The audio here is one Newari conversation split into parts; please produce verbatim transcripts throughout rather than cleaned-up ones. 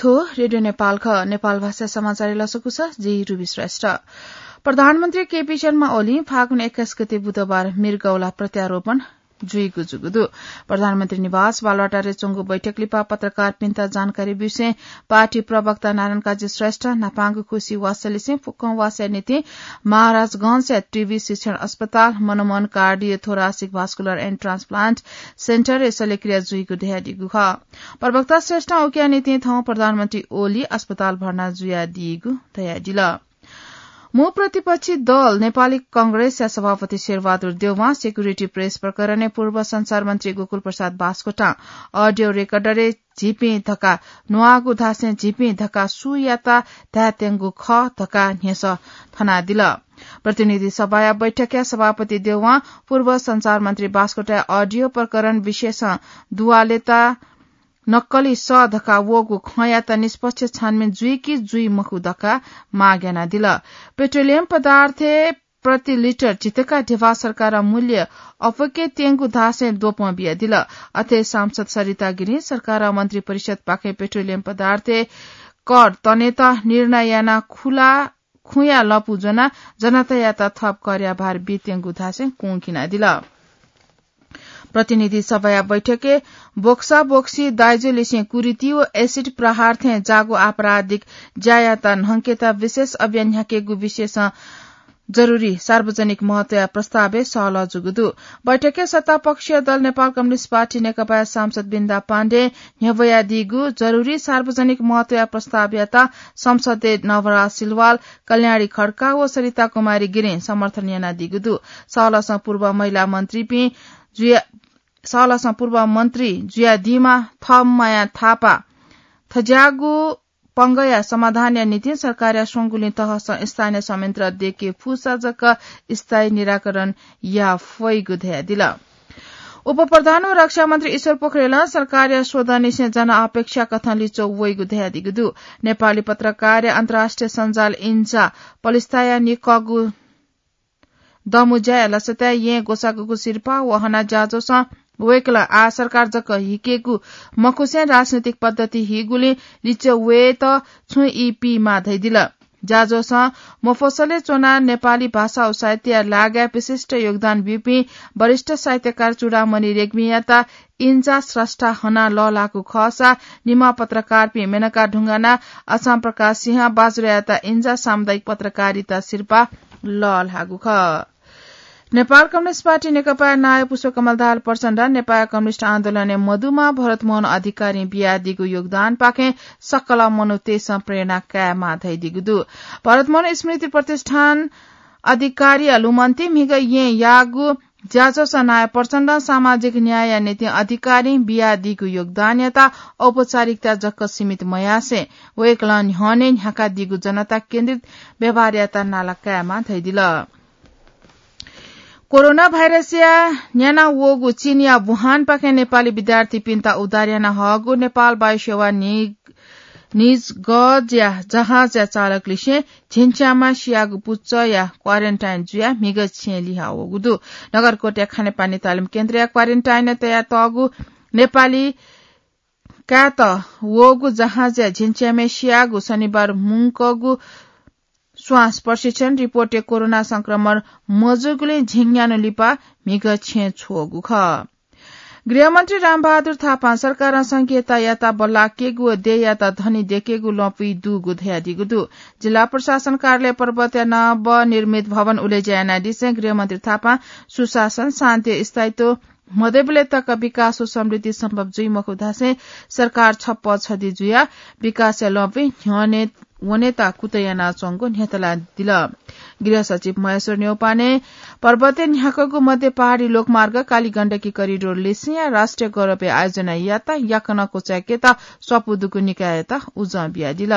रेडियो नेपाल ख, नेपाल भाषा समाचार लसकुस, जि रुबी श्रेष्ठ। प्रधानमन्त्री केपी शर्मा ओली फागुन एक्काइस गते बुधबार मृगौला प्रत्यारोपण जुइगु जूगु दु। प्रधानमन्त्री निवास बालुवाटारय् च्वंगु बैठक लिपा पत्रकारपिन्त जानकारी ब्यूसें पार्टी प्रवक्ता नारायण काजी श्रेष्ठ न्हापांगु खुसी वासलिसें फुक्कं वासया निंतिं महाराजगंजया टिबी शिक्षण अस्पताल, Manmohan cardio thoracic vascular end transplant सेन्टरय् शल्यक्रिया जुइगु धयादीगु खः। प्रवक्ता श्रेष्ठं उकिया निंतिं थौं प्रधानमन्त्री ओली अस्पताल भर्ना जुयादीगु धयादिल। मू प्रतिपक्षी दल नेपाली कांग्रेसया सभापति शेरबहादुर देउवां सेक्युरिटी प्रेस प्रकरणय् पूर्व संचार मन्त्री गोकुल प्रसाद बास्कोटां अडियो रेकर्डरय् झीपिं धकाः न्वाःगु धासें झीपिं धकाः सुयात धायेत्यंगु खः धकाः न्ह्यसः थनादिल। प्रतिनिधि सभाया बैठकया सभापति देउवां पूर्व संचार मन्त्री बास्कोटाया अडियो प्रकरण विशेषं दुवालेता नक्कली सः धकाः वःगु खँयात निष्पक्ष छानबिन जुइ कि जुइ मखु धकाः माग यानादिल। पेट्रोलियम पदार्थ प्रति लिटर झितका ध्यबा सरकारं मूल्य अप्वके त्यंगु धासें द्वपं बियादिल। अथे सांसद सरिता गिरिं सरकारं मन्त्री परिषदपाखें पेट्रोलियम पदार्थ कर तनेत निर्णय यानाः खुला खुँया लँपु ज्वनाः जनतायात थप करया भार बीत्यंगु धासें कुंखिनादिल। प्रतिनिधि सभाया बैठकय् बोक्सा बोक्सी दाइजो लिसें कुरीति व एसिड प्रहार थें जाःगु आपराधिक ज्यायात न्हंकेत विशेष अभियान न्ह्याकेगु विषयसं जरुरी सार्वजनिक महत्वया प्रस्तावय् सहलह जूगु दु। बैठकय् सत्तापक्षीय दल नेपाल कम्युनिस्ट पार्टी नेकपाया सांसद बिन्दा पाण्डें न्ह्यब्वयादीगु जरुरी सार्वजनिक महत्वया प्रस्तावयात संसदय् नवराज सिलवाल, कल्याणी खड्का व सरिता कुमारी गिरिं समर्थन यानादीगु दु। सहलहसं पूर्व महिला मन्त्रीपिं जुया, सहलहसं पूर्व मन्त्री जुयादीम्ह थम्हया थापा थज्याःगु पंगया समाधानया निंतिं सरकारया स्वंगुलिं तहसं स्थानीय संयन्त्र देके फुसा जक स्थायी निराकरण याये फइगु धयादिल। उपप्रधान व रक्षा मन्त्री ईश्वर पोखरेलं सरकारया स्वदँनिसें जन अपेक्षा कथं लिच्वः वइगु धयादीगु दु। नेपाली पत्रकारया अन्तर्राष्ट्रिय सञ्जाल इन्जा पलिस्ताया निकःगु दमुज्याया लसताय् येँ ग्वसाःगु सिरपाः व हना ज्याझ्वलं वय्कलं आः सरकार जक हिकेगु मखुसें राजनैतिक पद्धति हीगुलिं लिच्वः वयेत छुं ई पीमाः धयादिल। ज्याझ्वलं मफसलय् च्वनाः नेपाली भाषा व साहित्यया लागाय् विशिष्ट योगदान ब्यूपिं वरिष्ठ साहित्यकार चूडामणि रेग्मीयात इन्जा स्रष्टा हनाः लःल्हाःगु खःसा निम्ह पत्रकारपिं मेनका ढुङ्गाना, असां प्रकाश सिंह, बाजुरायात इन्जा सामुदायिक पत्रकारिता सिरपाः लःल्हाःगु खः। नेपाल कम्युनिस्ट पार्टी नेकपाया नायः पुष्पकमल दाहाल प्रचण्डं नेपाल कम्युनिस्ट आन्दोलनय् मदुम्ह भरतमोहन अधिकारीं बियादीगु योगदानपाखें सकल मनूतय्सं प्रेरणा कायेमाः धयादीगु दु। भरतमोहन स्मृति प्रतिष्ठान अधिकारीया लुमन्ति म्हिगः येँ याःगु ज्याझ्वलं नायः प्रचण्डं सामाजिक न्यायया निंतिं अधिकारीं बियादीगु योगदानयात औपचारिकता जक सीमित मयासें वय्कलं न्ह्यःने न्ह्याकादीगु जनता केन्द्रित व्यवहारयात नाला कायेमाः धयादिल। कोरोना भाइरसया न्याना वःगु चीनया वुहानपाखें नेपाली विद्यार्थीपिन्त उद्धार याना हःगु नेपाल वायु सेवा नि-, निजगजया जहाजया चालकलिसें झिंच्यामा सियागु पुचःया क्वारेन्टाइन जुयाः म्हिगः छेँय् लिहां वःगु दु। नगरकोटया खानेपानी तालिम केन्द्रया क्वारेन्टाइनय् तयातःगु नेपाली कायेत वःगु जहाजया झिंच्यामय् सियाः शनिबार मुंकःगु श्वास प्रशिक्षण रिपोर्टय् कोरोना संक्रमण मजूगुलिं झिंन्यान्हु लिपा म्हिगः छेँय् छ्वःगु खः। गृहमन्त्री रामबहादुर थापां सरकारं संघीयतायात बल्लाकेगु व देय्‌यात धनी देकेगु लँपुइ दुगु धयादीगु दु। जिल्ला प्रशासन कार्यालय पर्वतया नवनिर्मित भवन उलेज्या यानादिसें गृहमन्त्री थापां सुशासन, शान्ति, स्थायित्व मदयेबलय् तक विकास व समृद्धि सम्भव जुइ मखु धासें सरकार छप्पँ छधी जुयाः विकासया लँपुइ न्ह्यःने वनेत कुतः यानाच्वंगु न्ह्यथनादिल। गृह सचिव महेश्वर न्यौपाने पर्वतय् न्ह्याकःगु मध्य पहाडी लोकमार्ग काली गण्डकी करिडोर लिसेंया राष्ट्रिय गौरवया आयोजनायात याकनं क्वचाय्‌केत स्वापू दुगु निकाययात उजं बियादिल।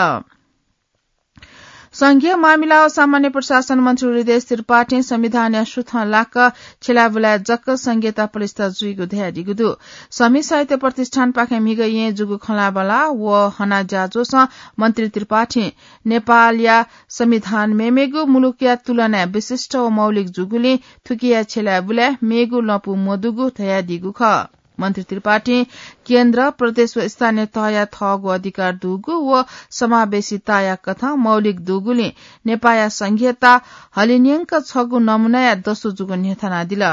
संघीय मामिला व सामान्य प्रशासन मन्त्री हृदयेश त्रिपाठीं संविधानया सुथं लाक्क छिलाबुलाय् जक संघीयता पलिस्था जुइगु धयादीगु दु। संघीय साहित्य प्रतिष्ठानपाखें म्हिगः येँ जूगु खँल्हाबल्हा व हना ज्याझ्वलं मन्त्री त्रिपाठीं नेपालया संविधान मेमेगु मुलुकया तुलनाय् विशिष्ट व मौलिक जूगुलिं थुकिया छिलाबुलाय् मेगु लँपु मदुगु धयादीगु खः। मन्त्री त्रिपाठीं केन्द्र, प्रदेश व स्थानीय तहया थःगु अधिकार दुगु व समावेशिताया कथं मौलिक दुगुलिं नेपाःया संघीयता हलिन्यंक छगू नमूनाया दसु जूगु न्ह्यथनादिल।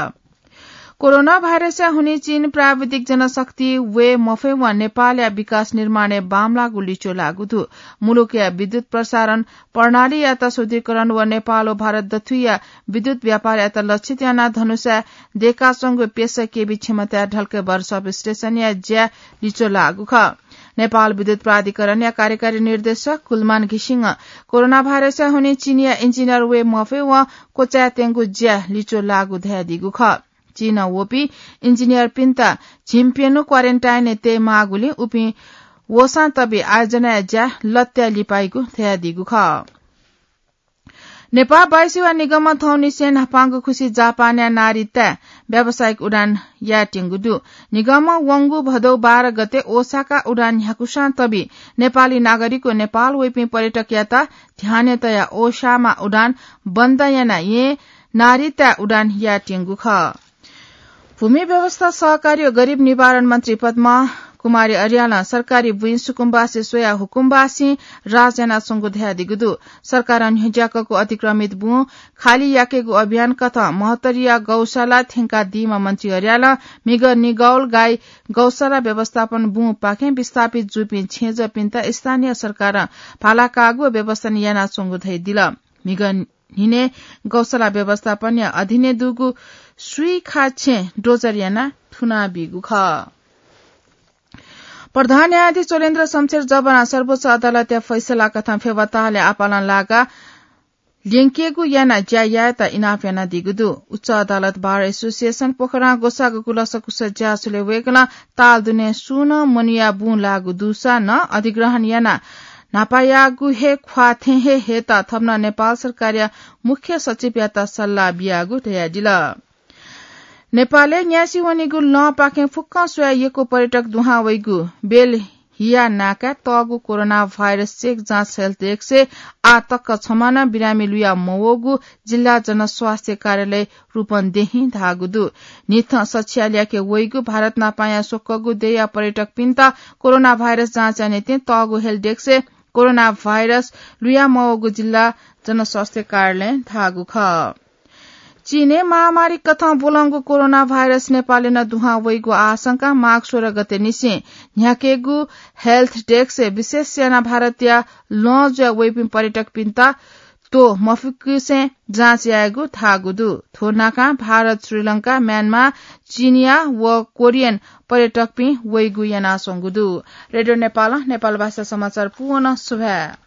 कोरोना भाइरसया हुनिं चीन प्राविधिक जनशक्ति वये मफयेवं नेपालया विकास निर्माणय् बांमलाःगु लिच्वः लाःगु दु। मुलुकया विद्युत प्रसारण प्रणालीयात सुदृढीकरण व नेपाल व भारत दथुइया विद्युत व्यापारयात लक्षित यानाः धनुषाय् दयेकाच्वंगु प्यसः केभी क्षमताया ढल्केबर substationया ज्या लिच्वः लाःगु खः। नेपाल विद्युत प्राधिकरणया कार्यकारी निर्देशक कुलमान घिसिङं कोरोना भाइरसया हुनिं चीनया इन्जिनियर वये मफयेवं क्वचायेत्यंगु ज्या लिच्वः लाःगु धयादीगु खः। चीनं वःपिं इन्जिनियरपिन्त झिंप्यन्हु क्वारेन्टाइनय् तयेमाःगुलिं उपिं वःसां तबि आयोजनाया ज्या लत्याः लिपाइगु धयादीगु खः। नेपाः वायुसेवा निगमं थौंनिसें न्हापांगु खुसि जापानया नारिताय् व्यावसायिक उडान यायेत्यंगु दु। निगमं वंगु भदौ बाह्र गते ओसाका उडान न्ह्याकुसां तबि नेपाली नागरिक व नेपाल वइपिं पर्यटकयात ध्यानय् तयाः ओसामा उडान बन्द यानाः येँ नारिताय् उडान यायेत्यंगु खः। भूमि व्यवस्था, सहकारी व गरीब निवारण मन्त्री पद्मा कुमारी अर्यालं सरकारी बुँइ सुकुम्बासी स्वयाः हुकुम्बासी राज यानाच्वंगु धयादीगु दु। सरकारं न्ह्यज्याकःगु अतिक्रमित बुँ खाली याकेगु अभियान कथं महतरिया गौशाला थ्यंकादीम्ह मन्त्री अर्यालं म्हिगः निगौल गाई गौशाला व्यवस्थापन बुँपाखें विस्थापित जूपिं छेँजःपिन्त स्थानीय सरकारं भाला काःगु व व्यवस्थापन यानाच्वंगु धयादिल। म्हिगः न्हिनय् गौशाला व्यवस्थापनया अधीनय् दुगु सुइखा छेँ डोजर यानाः थुनाबीगु खः। प्रधान न्यायाधीश चोलेन्द्र शमशेर जबरां सर्वोच्च अदालतया फैसला कथं फेवा तालय् आपालं लागा ल्यंकेगु यानाः ज्या यायेत इनाप यानादीगु दु। उच्च अदालत बार एसोसिएसन पोखरां ग्वसाःगु कुलसकुस ज्याझ्वलय् वय्कलं ताल दुने सुं नं मनूया बुँ लाःगु दुसा नं अधिग्रहण यानाः न्हापायागु हे ख्वाः थें हे हयेत थप नं नेपाल सरकारया मुख्य सचिवयात सल्लाह बियागु धयादिल। नेपालय् न्यासि वनीगु लँपाखें फुक्कं स्वयाः यक्व पर्यटक दुहां वइगु बेलहिया नाकाय् तःगु कोरोना भाइरस चेक जाँच हेल्प डेस्कय् आः तक छम्ह नं बिरामी लुया मवःगु जिल्ला जनस्वास्थ्य कार्यालय रूपन्देहीं धाःगु दु। न्हिथं सछिया ल्याके वइगु भारत न्हापांया स्वक्वःगु देय्या पर्यटकपिन्त कोरोना भाइरस जाँचया निंतिं तःगु हेल्प डेस्कय् कोरोना भाइरस लुया मवःगु जिल्ला जनस्वास्थ्य कार्यालयं धाःगु खः। चीनय् महामारी कथं ब्वलंगु कोरोना भाइरस नेपालय् नं दुहां वइगु आशंकां माघ सोह्र गते निसें न्ह्याकेगु हेल्प डेस्कय् विशेष यानाः भारतया लँ जुया वइपिं पर्यटकपिन्त त्वः मफुक्कसिनं जाँच यायेगु धाःगु दु। थ्व नाकां भारत, श्रीलंका, म्यानमार, चिनिया व कोरियन पर्यटकपिं वइगु यानाच्वंगु दु। रेडियो नेपालं नेपाल भाषा समाचार पूवं सुभाय्।